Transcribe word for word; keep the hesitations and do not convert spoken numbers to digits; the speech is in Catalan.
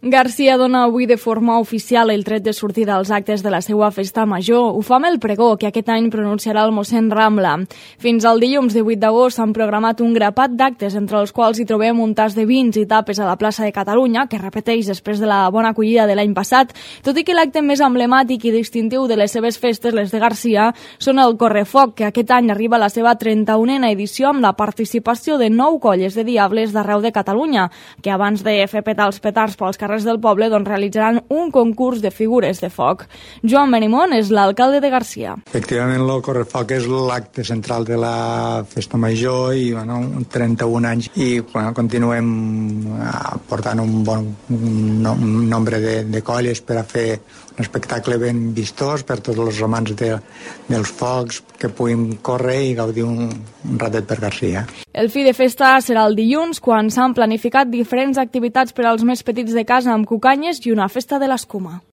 Garcia dona avui de forma oficial el tret de sortida als actes de la seva festa major. Ho fa amb el pregó que aquest any pronunciarà el mossèn Rambla. Fins al dilluns divuit d'agost s'han programat un grapat d'actes, entre els quals hi trobem un tas de vins i tapes a la plaça de Catalunya, que repeteix després de la bona acollida de l'any passat, tot i que l'acte més emblemàtic i distintiu de les seves festes, les de Garcia, són el Correfoc, que aquest any arriba a la seva trenta-unena edició amb la participació de nou colles de diables d'arreu de Catalunya, que abans de fer petar els petards pels carrers del poble doncs, realitzaran un concurs de figures de foc. Joan Benimon és l'alcalde de Garcia. Efectivament, el Correfoc és l'acte central de la festa major i bueno, trenta-un anys i bueno, continuem portant un bon un nombre de, de colles per a fer un espectacle ben vistós per tots els amants de, dels focs, que puguin córrer i gaudir un, un ratet per Garcia. El fi de festa serà el dilluns, quan s'han planificat diferents activitats per als més petits de casa amb cucanyes i una festa de l'escuma.